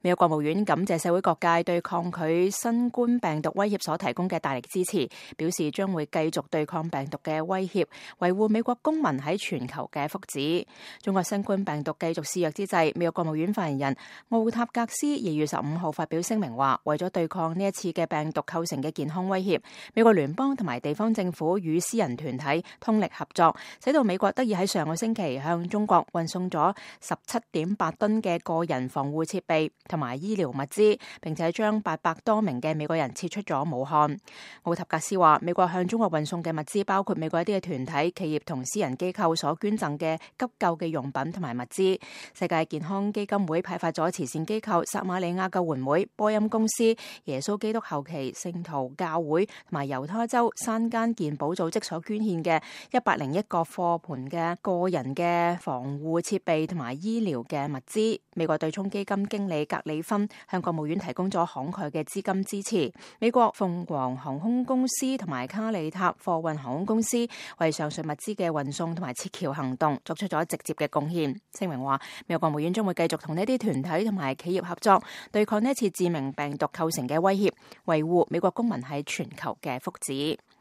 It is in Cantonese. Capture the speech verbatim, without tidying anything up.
美國國務院感謝社會各界對抗拒新冠病毒威脅所提供嘅大力支持，表示將會繼續對抗病毒嘅威脅，維護美國公民喺全球嘅福祉。中國新冠病毒繼續肆虐之際，美國國務院發言人奧塔格斯二月十五號發表聲明話，為咗對抗呢一次嘅病毒構成嘅健康威脅，美國聯邦同埋地方政府與私人團體通力合作，使到美國得以喺上個星期向中國運送咗十七點八噸嘅個人防護設備同埋醫療物資，並且將八百多名嘅美國人撤出咗武漢。奧塔格斯話，美國向中國運送嘅物資包括美國一啲嘅團體、企業同私人機構所捐贈嘅急救嘅用品同埋物資。世界健康基金會派發咗慈善機構撒瑪利亞救援會、波音公司、耶穌基督後期聖徒教會同埋猶他州山間健保組織所捐獻嘅一百零一個貨盤嘅個人嘅防護設備同埋醫療嘅物資。美國對沖基金經理格里芬向國務院提供咗慷慨嘅資金支持。美國鳳凰航空公司同埋卡利塔貨運航空公司為上述物資嘅運送同埋撤僑行動作出咗直接嘅貢獻。聲明話，美國國務院將會繼續同呢啲團體同埋企業合作，對抗呢一次致命病毒構成嘅威脅，維護美國公民喺全球嘅福祉。